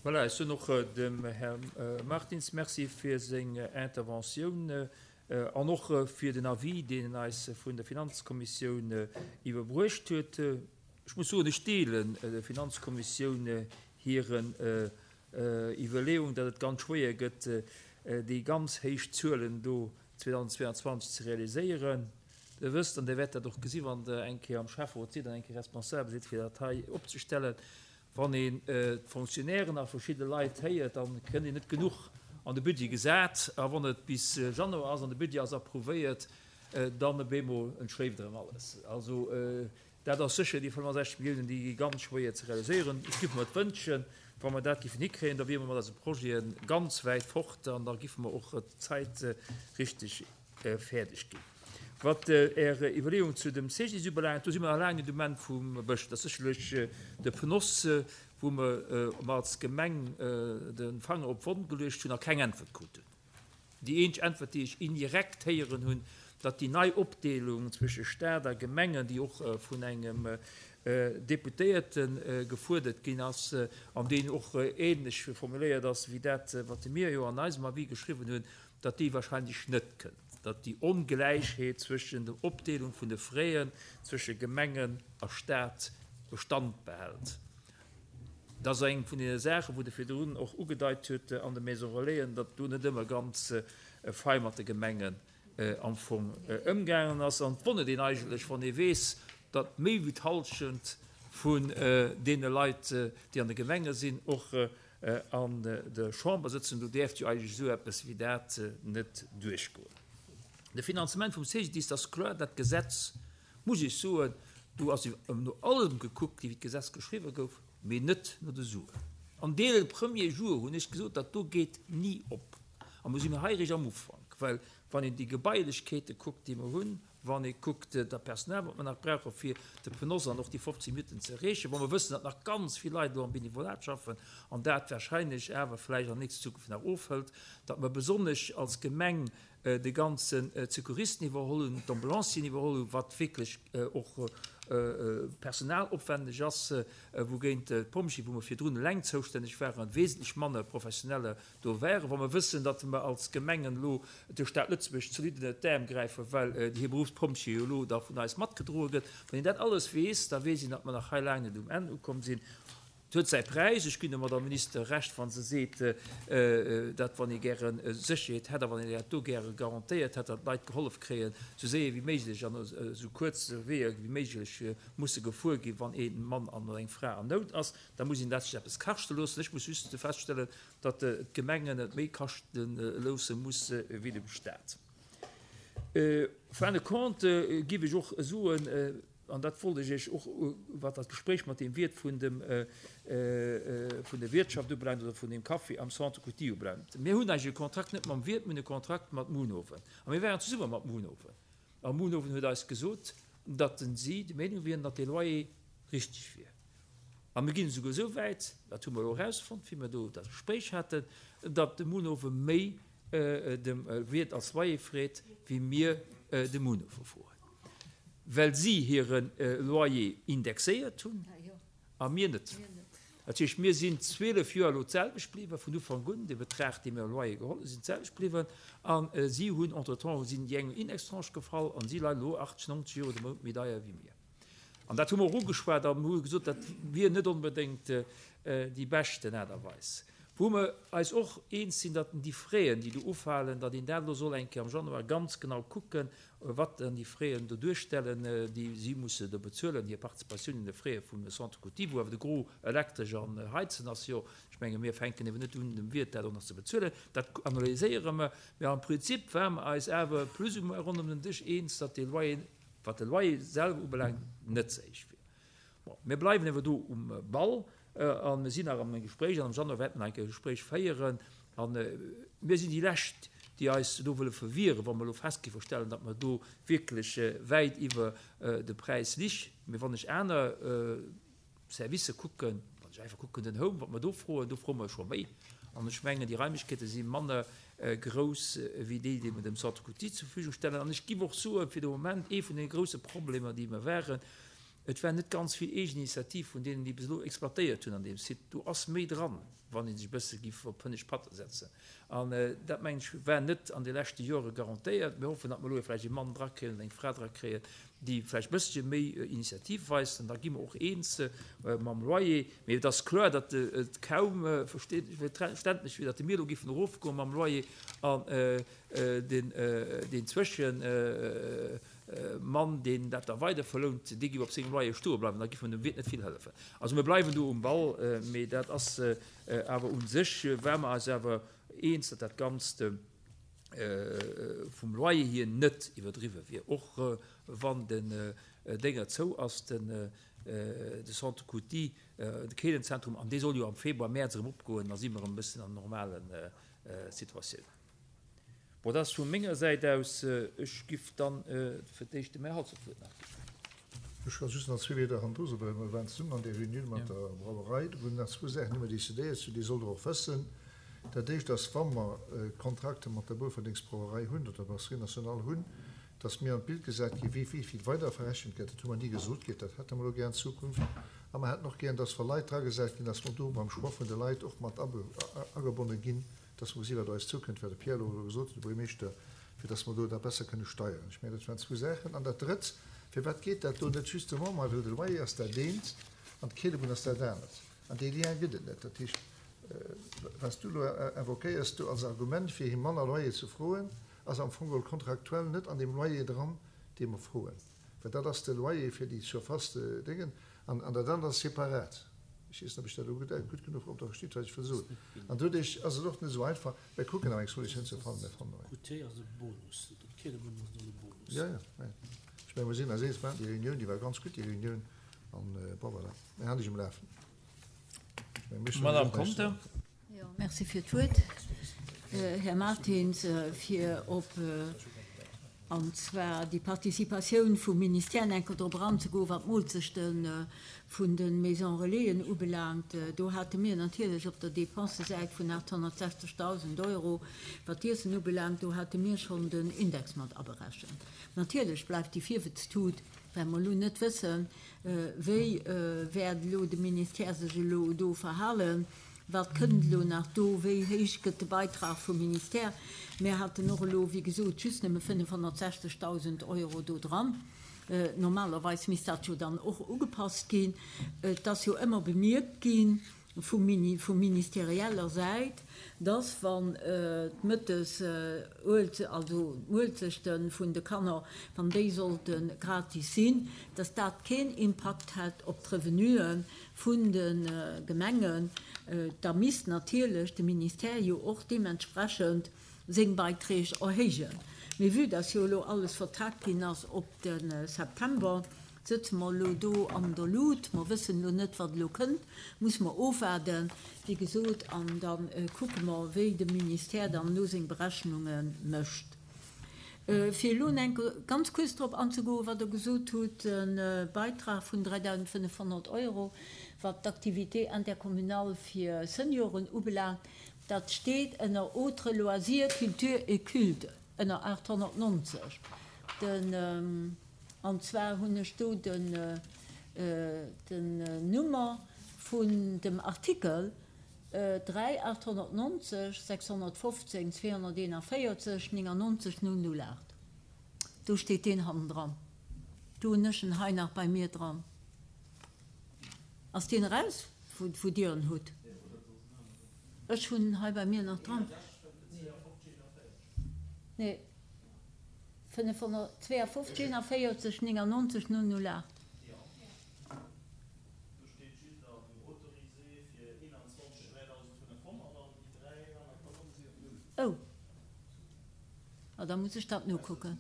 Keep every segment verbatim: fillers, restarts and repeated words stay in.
Voilà, ech soen och dem Här Martins Merci fir seng Interventioun an och fir den Avis, deen en eis vun der Finanzkommissioun iwwerbruecht huet. Ech muss soen, ech deelen der Finanzkommissioun hiren Iwwerleeung, datt et ganz schwéier gëtt, déi ganz héich Zuelen do zweedausendzweianzwanzeg ze realiséieren. Der wësst, an Der wäert dat och gesi wann Der eng Kéier am Schäfferot sidd an eng Kéier responsabel sidd fir dat hei opzestellen, wann een d'Fonctionnairen a verschidde Leit héiert, da kënnt een net genuch an de Budget gesat. A wann et bis Januar ass an de Budget ass approuvéiert, dann op eemol entschléift erëm alles. Also dat ass sécher, déi fënnefasechzeg Milliounen, déi gi ganz schwéier ze realiséieren. Ech géif mer et wënschen, wa mer dat géifen hikréien, da wiere mer mat eise Projete ganz wäit fort an da géife mer och d'Zäit richteg fäerdeg ginn. Wat Är Iwwerleeung zu dem C G I S ubelaangt, do si mer nach laang net um Enn vum Bësch. Dat ass sécherlech de P N O S, wou mer als Gemeng de Fanger op d'Wonn geluecht hunn a keng Äntwert krut hunn. Déi eenzeg Äntwert, déi ech indirekt héieren hunn, datt déi nei Opdeelung zwësche Stat a Gemengen, déi och vun engem Deputéierte gefuerdert ginn ass an deen och ähnlech formuléiert ass wéi dat, wat mir jo an eisem Avis geschriwwen hunn, datt déi wahrscheinlech net kënnt, datt déi Ongläichheet zwëschen der Opdeelung vun de Fräen zwësche Gemengen a Stat Bestand behält. Dat ass eng vun deene Saachen, wou Der virdrun och ugedeit hutt an de Maisons Relaisen, datt do net ëmmer ganz fei mat de Gemengen am Fong ëmgaangen ass. An et wonnert een eigentlech, wann ee weess, datt méi wéi d'Hallschent vun deene Leit, déi an de Gemenge sinn, och an der Chamber sëtzen. Do däerft jo eigentlech esou eppes wéi dat net duerchgoen. De Finanzement vum C G D I S, dat ass kloer, dat Gesetz, muss ech soen, do ass no allem gekuckt gi wéi d'Gesetz geschriwwen gouf, mee net no de Suen. An dès le premier jour hunn ech gesot, dat do geet ni op. A mir sinn hei eréischt am Ufank, well wann een déi Gebailechkeete kuckt, déi mer hunn, wann ee kuckt dat Personal, wat mer nach brauche fir de P N O S an och déi fofzéng Minutten ze erreechen, wa mer wëssen, datt nach ganz vill Leit elo am Benevolat schaffen an dat wahrscheinlech awer vläicht an nächster Zukunft nach ofhëlt, datt mer besonnesch als Gemeng de ganzen Secouristen iwwerholl hunn, d'Ambulancieren iwwerholl hunn, wat wierklech och personalopwendeg ass, wougéint d'Pompjeeë, wou mer virdrun eleng zoustänneg waren, wesentlech manner Professioneller do wären. Wa mer wëssen, datt mer als Gemengen elo der Stad Lëtzebuerg zolidd ënnert d'Äerm gräifen, well hir Beruffspompjeeë jo elo da vun eis matgedroe gëtt, wann een dat alles weess, da weess een, datt mer nach hei laang net um Enn ukomm sinn. Et huet säi Präis. Ech ginn der Madame Minister Recht, wa se seet, datt wann ee gäre Sécherheet hätt a wann een dat do gäre garantéiert hätt, datt d'Leit gehollef kréien, esou séier wéi méiglech an esou kuerz Weeër wéi méiglech musse gefuer ginn, wann ee Mann an oder eng Fra an Nout ass, da muss een dat sech eppes kaschte loossen. Ech muss just feststellen, datt d'Gemengen et méi kaschte loosse musse wéi dem Stat. Fin de compte géif ech och soen, an dat wollt ech Iech och, wat dat Gespréich mat deem Wiert vun dem, vun der Wiertschaft ubelaangt oder vun deem Café am Centre Couty ubelaangt, mir hunn eigentlech e Kontrakt net mam Wiert, mir hunn e Kontrakt mat Munhowen. A mir waren zesumme mat Munhowen. A Munhowen huet eis gesot, datt si der Meenung wieren, datt dee Loyer richteg wier. A mir ginn esouguer esou wäit, dat hu mer elo erausfonnt, wéi mer do dat Gespréich haten, datt de Munhowen méi dem Wiert als Loyer freet, wéi mir de Munhowen froen, well si hire Loyer indexéiert hunn a mir net. Dat heescht, mir sinn zwielef Joer elo d'selwecht bliwwen, vun Ufank un, de Betrag, dee mir am Loyer geholl hunn, sinn d'selwecht bliwwen, a si hunn entretemps sinn déi eng Indextranche gefall an si leien elo achtzeg, neunzeg Euro de Mount méi deier wéi mir. An dat hu mer och ugeschwat a mir hu gesot, dat wier net onbedéngt déi beschten Aart a Weis. Wou mer eis och eens sinn, datt déi Fräen, déi do ufalen, datt een dat elo soll eng Kéier am Januar ganz genau kucken, wat dann déi Fräen do duerstellen, déi si musse do bezuelen, hir Participatioun un de Fräe vum Centre Couty, wou awer de Gros Elektresch an Heizen ass. Jo, ech menge mir fänken eben net un, dem Wiert dat och nach ze bezuelen. Dat analyséiere mer. Mä am Prinzip ware mer eis awer plus ou moins ronderëm den Dësch eens, datt dee Loyer, wat de Loyer selwer ubelaangt, net ze héich wier. Bon, mir bleiwen awer do um Ball a mir sinn nach am Gespréich an am Januar wäerte mer nach eng Kéier e Gespréich féieren. A mir sinn déi Lescht, déi eis do wëlle verwieren, wa mer elo fest géife stellen, datt mer do wierklech wäit iwwer de Präis lich. Mee wann ech aner Servicë kucken, wann ech einfach kucken den Home, wat mer do froen, do froe mer scho méi. An ech mengen, déi Raimlechkeete si manner grouss wéi déi, déi mer dem Centre Couty zur Verfügung stellen. An ech géif och soen, fir de Moment ee vun de grousse Problemer, déi mer waren, Et war net ganz vill Eegeninitiativ vun deenen, déi bis elo exploitéiert hunn an deem Site. Do ass méi dran, wann ee sech e bësse giff op hënnescht Patte setzen. An dat, mengen ech, war net an de leschte Jore garantéiert. Mir hoffen, datt mer elo vläicht ee Mann drakréien oder eng Fra drakréien, déi vläicht e bëssche méi Initiativ weist. An da gi mer och eens mam Loyer. Mee et ass kloer, datt et kaum verständlech wier, datt mir elo giffen erofgoe mam Loyer an deen Zwëschen, Mann, deen dat da weider verlount, dee géif op sengem Loyer stoe bleiwen, da géif mer dem Wiert net vill hëllefen. Also mir bleiwen do um Ball, mee dat ass awer u sech, ware mer eis awer eens, datt dat Ganzt vum Loyer hier net iwwerdriwwe wier, och wann den Dénger zou ass, den de Centre Coutty, de Keelenzentrum, an dee soll jo am Februar, Mäerz erëm opgoen, da si mer erëm e bëssen an normale Situatiounen. Bon, dat ass vu menger Säit aus. Ech giff dann fir d'éischt dem Här Halsdorf d'Wuert nach ginn. Ech ka just nach zwee Wierder hannendru soen, well mer waren zesummen an där Reunioun mat der Brauerei. Do hunn nach zwou Saachen, déi mer decidéiert hunn, déi sollt Der och wëssen. Dat éischt ass, wa mer Kontrakte mat der Boufferdengsbrauerei hunn oder der Brasserie nationale hunn, dass mir an d'Bild gesat ginn, wéi vill weider verrechent gëtt. Dat hu mer ni gesot kritt. Dat hätte mer elo gär an Zukunft. A mer hätten och gär, dass wa Leit dragesat ginn, dass mer do beim Choix vun de Leit och mat agebonne ginn, dass mer gesi wat eis zoukënnt, wat de Pierre elo gesot huet, de Buergermeeschter, fir dass mer do dat besser kënne steieren. Ech mengen, dat waren zwou Saachen. An dat Drëtt, Firwat geet dat do net justement? Ma well de Loyer ass dat eent an d'Keelebunn ass dat anert. An dee Lien gëtt et net. Dat heescht, wat s du elo invoquéiers do als Argument, fir him manner Loyer ze froen, ass am Fong geholl kontraktuell net an deem Loyer dran, dee mer froen. Well dat ass de Loyer fir déi Surface de Déngen an dat anert ass separat. Ech weess net, ob ech dat elo gutt, gutt genuch op der versteet, wat ech wëll soen. An doduerch ass et och net esou einfach. Mir kucken awer eng Solutioun ze fannen. Mir fannen eng. Goûter ass e Bonus. D'Keelebunn ass net e Bonus. Jo, jo, mä ech mengen, mir sinn eis eens. Mir haten déi Reunioun, déi war ganz gutt, déi Reunioun. An, bon, voilà, mir halen dech um Lafen. Ech mengen, mir stellen Madame och näischt Conter. Jo, merci fir d'Wuert, Här Martins, fir op an zwar déi Participatioun vum Ministère enker drop eranzegoen, wat d'Moolzechte vun de Maisons Relaisen ubelaangt. Do hate mir natierlech op der Dépensesäit vun aathonnertsechzegdausend Euro, wat d'Iessen ubelaangt, do hate mir schonn den Index mat aberechent. Natierlech bleift déi Virwëtztut, well mer elo net wëssen, wéi wäert elo de Ministère sech elo do verhalen. Wat kënnt elo nach do? Wéi héich gëtt de Beitrag vum Ministère? Mir haten och elo, wéi gesot, just nëmme fënnefhonnertsechzegdausend Euro do dran. Normalerweis misst dat jo dann och ugepasst ginn. Et ass jo ëmmer bemierkt gi vum Mini, vu ministerieller Säit, dass wann d'Mëttes, also d'Muelzechte vun de Kanner, wann déi sollte gratis sinn, dass dat keen Impakt hätt op d'Revenuen vun de Gemengen, da misst natierlech de Ministère jo och deementsprechend seng Beiträg erhéijen. Mee vue dass jo elo alles vertagt ginn ass op de September, sëtze mer elo do an der Lut. Mer wëssen elo net, wat elo kënnt, muss mer ofwaarden, wéi gesot, an da kucke mer, wéi de Ministère dann elo seng Berechnunge mécht. Fir elo enk ganz kuerz drop anzegoen, wat Der gesot hutt, de Beitrag vun dräidausendfënnefhonnert Euro, wat d'Activité intercommunale fir Senioren ubelaangt, dat steet ënner Autres loisirs, culture et culte, ënner aathonnertnonzeg. Den, an zwar hunn ech do den, den Nummer vun dem Artikel dräi aathonnertnonzeg sechshonnertfofzéng zweehonnerteenavéierzeg néngannonzeg null null aacht. Do steet deen hannendran. Do hunn ech en hei nach bei mir dran. Ass deen eraus, wou, wou Dir en hutt? Ech hunn en hei bei mir nach dran. Nee, fënnefhonnertzweeafofzeg eenavéierzeg néngannonzeg null null aacht. Oh, ah, da muss ech dat nokucken.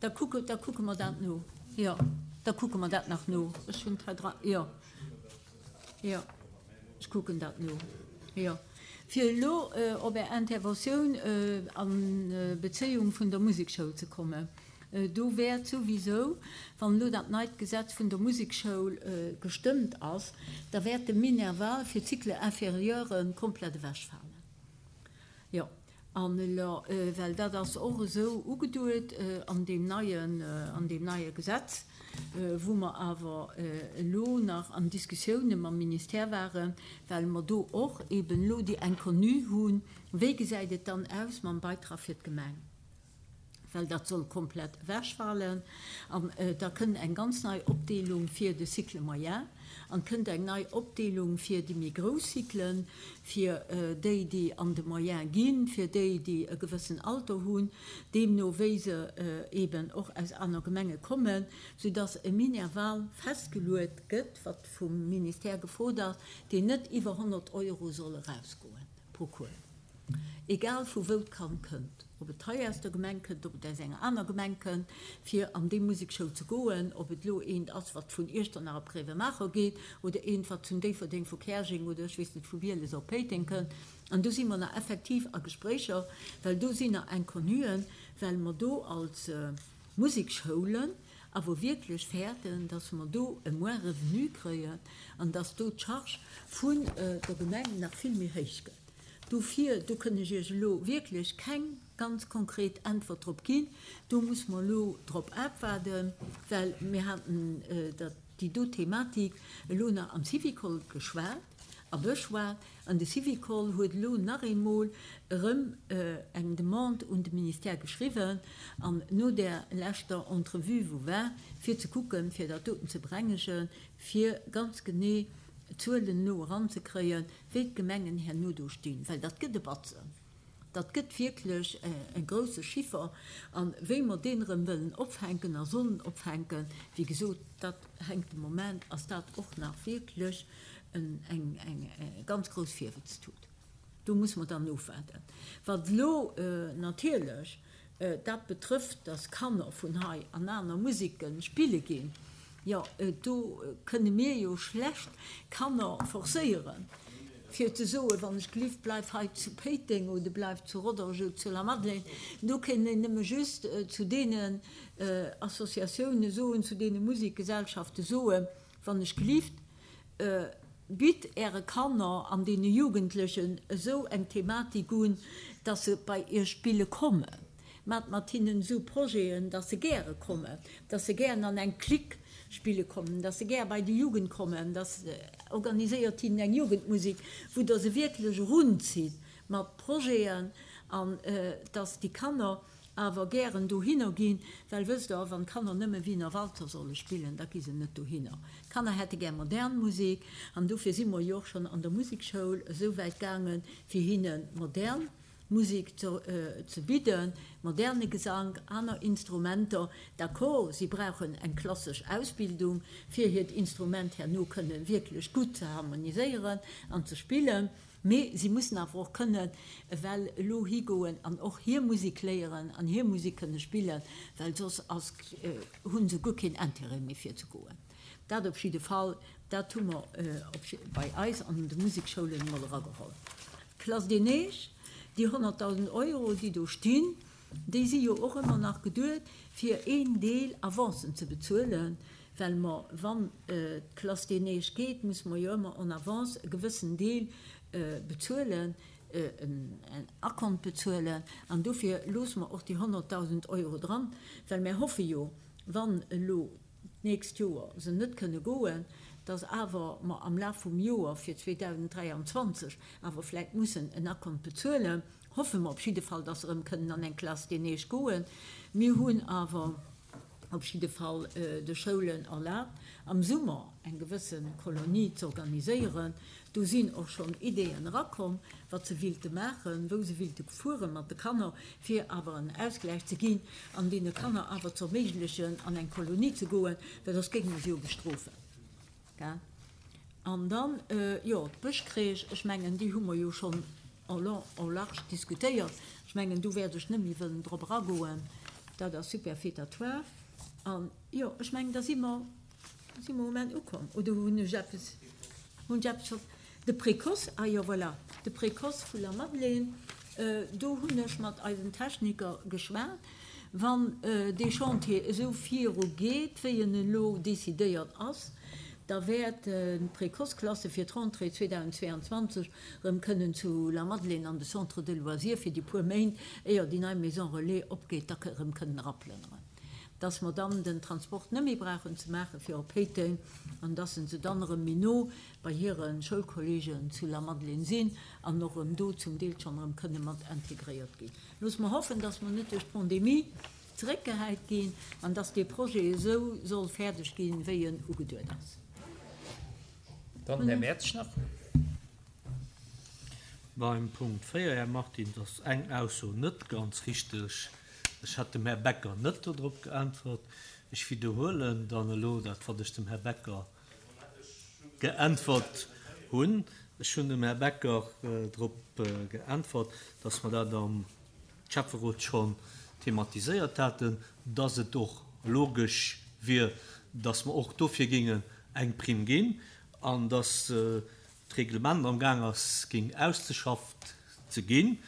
Da kucke, da kucke mer dat no. Jo, da kucke mer dat nach no. Ech hunn et hei dran. Jo, jo, ech kucken dat no. Jo. Fir elo op Är Interventioun a Bezéiung vun der Musekschoul ze kommen, do wäert souwisou, wann elo dat neit Gesetz vun der Musekschoul gestëmmt ass, da wäert de Minerval fir d'Cycle inférieure komplett ewechfalen. Jo, An elo, well dat ass och esou ugeduet an deem neien, an deem neie Gesetz, wou mer awer elo nach an Diskussioune mam Ministère waren, well mer do och eben elo déi Inconnue hunn, wéi gesäit et dann aus mam Beitrag fir d'Gemeng? Well dat soll komplett ewechfalen an da kënnt eng ganz nei Opdeelung fir de Cycle moyen an kënnt eng nei Opdeelung fir déi méi grouss Cyclen, fir déi, déi an de Moyen ginn, fir déi, déi e gewëssen Alter hunn, deemno wéi se eeben och aus aner Gemenge kommen, soudass e Minerval festgeluet gëtt, wat vum Ministère gefrot ass, deen net iwwer honnert Euro soll erausgoen pro Cours. Egal vu wou d'Kand kënnt, ob et hei aus der Gemeng kënnt, ob et aus enger aner Gemeng kënnt, fir an déi Musekschoul ze goen, ob et elo eent ass, wat vun Iechternach op Gréiwemaacher geet, oder eent, wat zun Déifferdeng vu Käerjeng oder ech weess net vu Bieles op Péiteng kënnt. An do si mer nach effektiv a Gespréicher, well do sinn nach Inconnuen, well mer do als Musekschoulen awer wierklech fäerten, dass mer do e moins revenu kréien an dass do d'Charge vun der Gemeng nach vill méi héich gëtt. Dofir, do kënn ech Iech elo wierklech keng ganz konkret Äntwert drop ginn. Do muss mer elo drop abwaarden, well mir haten dat, déi do Thematik elo nach am Syvicol geschwat a beschwat an de Syvicol huet elo nach eemol erëm eng Demande un de Ministère geschriwwen an no där leschter Entrevue wou war, fir ze kucken, fir dat doten ze berengegen, fir ganz genee Zuelen elo eranzekréien, wéi d'Gemengen herno do stinn, well dat gëtt e Batzen, dat gëtt wierklech e grouse Chiffer. A wéi mer deen erëm wëllen opfänken a sollen opfänken, wéi gesot, dat hänkt de Moment, ass dat och nach wierklech eng ganz grouss Virwëtztut. Do muss mer dann ofwaarden. Wat elo natierlech dat betrëfft, dass Kanner vun hei an aner Museke spille ginn, jo, do kënne mir jo schlecht Kanner forcéieren, fir ze soen, wann ech gelift, bleif hei zu Péiteng oder bleif zu Rodange oder zu Lamadelaine. Do kënnt een nëmme just zu deenen Associatiounen soen, zu deene Musikgesellschaften soen, wann ech gelift, bitt Äre Kanner an deene Jugendlechen esou eng Thematik un, dass se bei Iech spille kommen. Maacht mat hinnen esou Projeten, dass se gäre kommen, dass se gären an eng Clique spille kommen, dass se gär bei déi Jugend kommen, dass organiséiert hinnen eng Jugendmusik, wou Der se wierklech erunzitt mat Projeten an dass déi Kanner awer gären dohinner ginn, well wësst Der, wann d'Kanner nëmme Wiener Walzer solle spillen, da gi se net dohinner. D'Kanner hätte gär modern Musek an dofir si mer jo och schonn an der Musekschoul esou wäit gaangen, fir hinne modern Musek ze bidden, moderne Gesank, aner Instrumenter. D'accord, si brauchen eng klassesch Ausbildung, fir hiert Instrument herno kënne wierklech gutt ze harmoniséieren an ze spillen, mee si mussen awer och kënnen ewell elo higoen an och hir Musek léieren an hir Musek kënne spillen, well soss ass, hu se guer keen Intérêt méi fir ze goen. Dat op jidde Fall, dat hu mer bei eis an de Musekschoulen emol erageholl. D'Classe des Neiges, déi honnertdausend Euro, déi do stinn, déi si jo och ëmmer nach geduet, fir een Deel Avancen ze bezuelen, well mer, wann d'Classe des Neiges geet, musse mer jo ëmmer en avance e gewëssen Deel bezuelen, en Acompte bezuelen. An dofir loosse mer och déi honnertdausend Euro dran, well mer hoffe jo, wann elo d'nächst Joer se net kënne goen, dass awer mer am Laf vum Joer fir zweedausenddräianzwanzeg awer vläicht mussen en Acompte bezuelen, hoffe mer op jidde Fall, dass se erëm kënnen an eng Classe des Neiges goen. Mir hunn awer op jidde Fall de Schoulen erlaabt, am Summer eng gewësse Kolonie z'organiséieren. Do sinn och schonn Ideeën erakomm, wat se willte maachen, wou se willte fuere mat de Kanner, fir awer en Ausgläich ze ginn an deene Kanner awer z'erméiglechen, an eng Kolonie ze goen, well soss géinge mer se jo bestrofen. Gell? An dann, jo, d'Bëschcrèche, ech mengen, déi hu mer jo schonn en long, en large diskutéiert. Ech mengen, do wäert ech net méi wëllen drop eragoen. Dat ass superfétatoire. An, jo, ech mengen, da si mer, si mer um Enn ukomm. Oder hunn ech eppes, hunn ech eppes ver-, de Précoce, ah jo, voilà, de Précoce vu Lamadelaine, do hunn ech mat eisen Techniker geschwat. Wann dee Chantier esou viru geet, wéi en elo décidéiert ass, da wäerten d'Précoce-Klasse fir d'Rentrée zweedausendzweeanzwanzeg erëm kënnen zu Lamadelaine an de Centre de loisirs fir déi puer Méint, éier déi nei Maison relais opgeet, da erëm kënnen eraplënneren. Dass mer dann den Transport net méi brauchen ze maache fir op Péiteng an dass se dann erëm méi no bei hire Schoulkolleegen zu Lamadelaine sinn an och erëm do zum Deel schonn erëm kënne mat integréiert ginn. Loosse mer hoffen, dass mer net duerch d'Pandemie zeréckgehäit ginn an dass dee Projet esou soll fäerdeg ginn, wéi en ugeduet ass. Dann den Här Mertsch nach. Beim Punkt véier, Här Martins, ass eng Ausso net ganz richteg. Ech hat dem Här Becker net dodrop geäntwert. Ech widderhuelen dann elo dat, wat ech dem Här Becker geäntwert hunn. Ech hunn dem Här Becker drop geäntwert, dass mer dat am Schäfferot schonn thematiséiert haten, dass et och logesch wier, dass mer och dofir géingen eng Primm ginn an dass d'Reglement am Gaang ass, géing ausgeschafft ze ginn.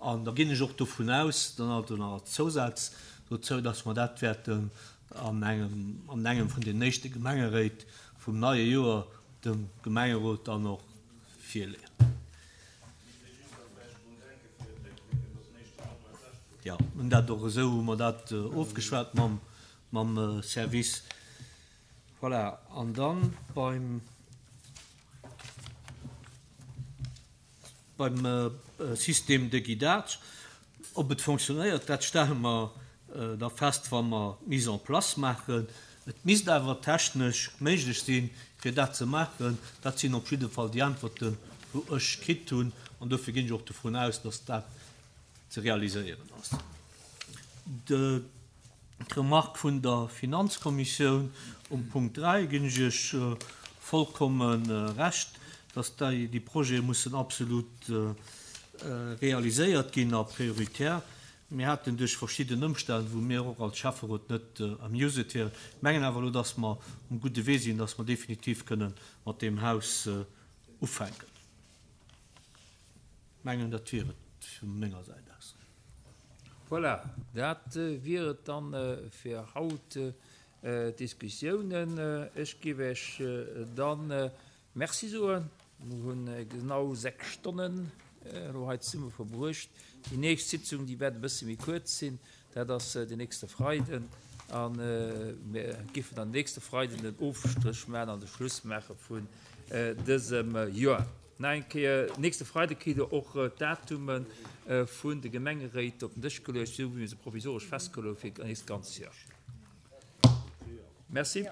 An da ginn ech och dovun aus, dann also nach als Zousaz dozou, dass mer dat wäerten an engem, an engem vun den éischte Gemengeréit vum neie Joer dem Gemengerot dann och virleeën. Jo, hunn dat och esou, hu mer dat ofgeschwat mam, mam Service. Voilà, an dann beim, beim Système de guidage, ob et fonctionnéiert, dat stelle mer da fest, wa mer d'Mise en place maachen. Et misst awer technesch méiglech sinn, fir dat ze maachen. Dat sinn op jidde Fall déi Äntwerten, wou ech kritt hunn, an dofir ginn ech och dovun aus, dass dat ze realiséieren ass. D'Remark vun der Finanzkommissioun um Punkt dräi ginn ech Iech vollkomme Recht, dass déi Projete mussen absolut realiséiert ginn a prioritär. Mir haten duerch verschidden Ëmstänn, wou mir och als Schäfferot net amused wieren, mengen awer elo, dass mer um gudde Wee sinn, dass mer definitiv kënnen mat deem Haus ufänken. Mengen, dat wier et vu menger Säit aus. Voilà, dat wier et dann fir haut, d'Diskussiounen. Ech géif Iech dann Merci soen. Mir hunn genau sechs Stonnen elo hei zesumme verbruecht. Déi nächst Sitzung, déi wäert e bësse méi kuerz sinn, dat ass den nächste Freiden. A mir géifen dann nächste Freiden den Ofstréch maachen an de Schluss maache vun dësem Joer. Nach eng Kéier, nächste Freide kritt Der och d'Datume vun de Gemengeréit op den Dësch geluecht, esou wéi mir se provisoresch festgeluecht hu fir d'nächst ganz Joer. Merci.